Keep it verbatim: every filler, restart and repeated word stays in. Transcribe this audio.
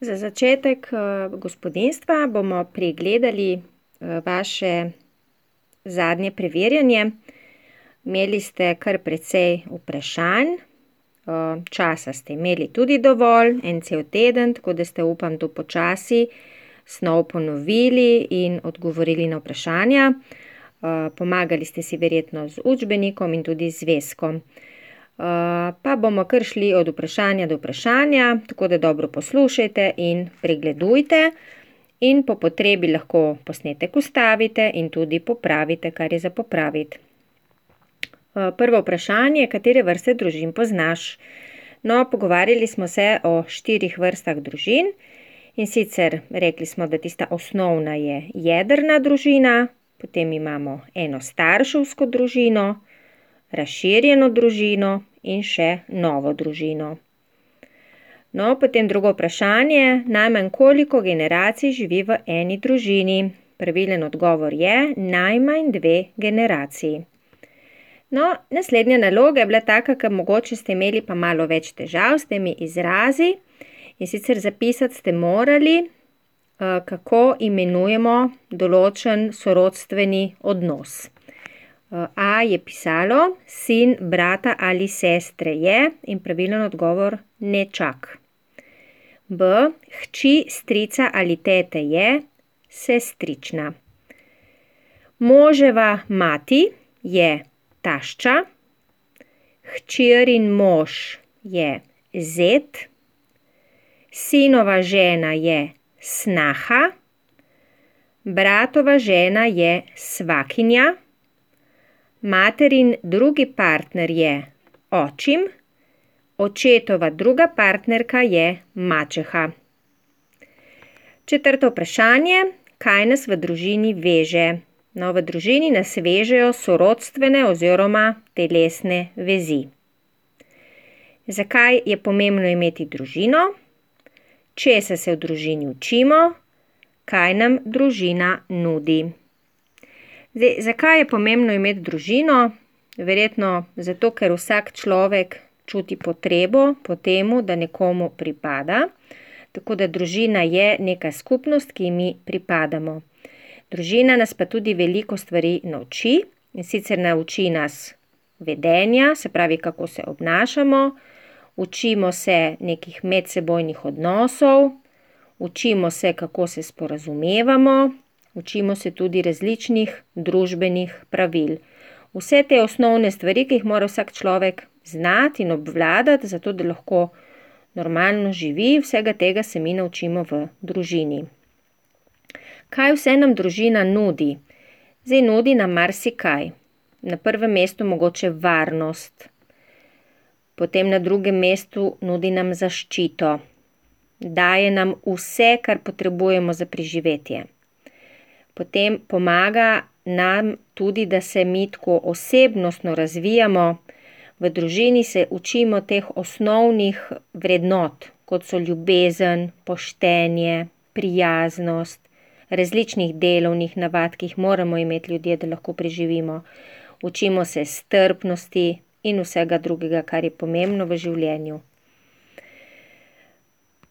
Za začetek gospodinjstva bomo pregledali vaše zadnje preverjanje. Imeli ste kar precej vprašanj, časa ste imeli tudi dovolj, en cel teden, tako da ste, upam, to počasi snov ponovili in odgovorili na vprašanja. Pomagali ste si verjetno z učbenikom in tudi z zvezkom. Pa bomo kar šli od vprašanja do vprašanja, tako da dobro poslušajte in pregledujte in po potrebi lahko posnetek ustavite in tudi popravite, kar je za popraviti. Prvo vprašanje, katere vrste družin poznaš? No, pogovarjali smo se o štirih vrstah družin in sicer rekli smo, da tista osnovna je jedrna družina, potem imamo enostarševsko družino, razširjeno družino in še novo družino. No, potem drugo vprašanje, najmanj koliko generacij živi v eni družini? Pravilen odgovor je najmanj dve generaciji. No, naslednja naloga je bila taka, ker mogoče ste imeli pa malo več težav s temi izrazi in sicer zapisati ste morali, kako imenujemo določen sorodstveni odnos. A je pisalo, sin brata ali sestre je in pravilen odgovor nečak. B, hči strica ali tete je sestrična. Moževa mati je tašča, hčerin mož je zet, sinova žena je snaha, bratova žena je svakinja, materin drugi partner je očim, očetova druga partnerka je mačeha. Četrto vprašanje, kaj nas v družini veže? No, v družini nas vežejo sorodstvene oziroma telesne vezi. Zakaj je pomembno imeti družino? Česa se v družini učimo? Kaj nam družina nudi? Zdaj, zakaj je pomembno imeti družino? Verjetno zato, ker vsak človek čuti potrebo po temu, da nekomu pripada. Tako da družina je neka skupnost, ki mi pripadamo. Družina nas pa tudi veliko stvari nauči in sicer nauči nas vedenja, se pravi, kako se obnašamo, učimo se nekih medsebojnih odnosov, učimo se, kako se sporazumevamo, učimo se tudi različnih družbenih pravil. Vse te osnovne stvari, ki jih mora vsak človek znati in obvladati, zato da lahko normalno živi, vsega tega se mi naučimo v družini. Kaj vse nam družina nudi? Zdaj nudi nam marsikaj. Na prvem mestu mogoče varnost, potem na drugem mestu nudi nam zaščito, daje nam vse, kar potrebujemo za preživetje. Potem pomaga nam tudi, da se mi tako osebnostno razvijamo. V družini se učimo teh osnovnih vrednot, kot so ljubezen, poštenje, prijaznost, različnih delovnih navad, ki jih moramo imeti ljudje, da lahko preživimo. Učimo se strpnosti in vsega drugega, kar je pomembno v življenju.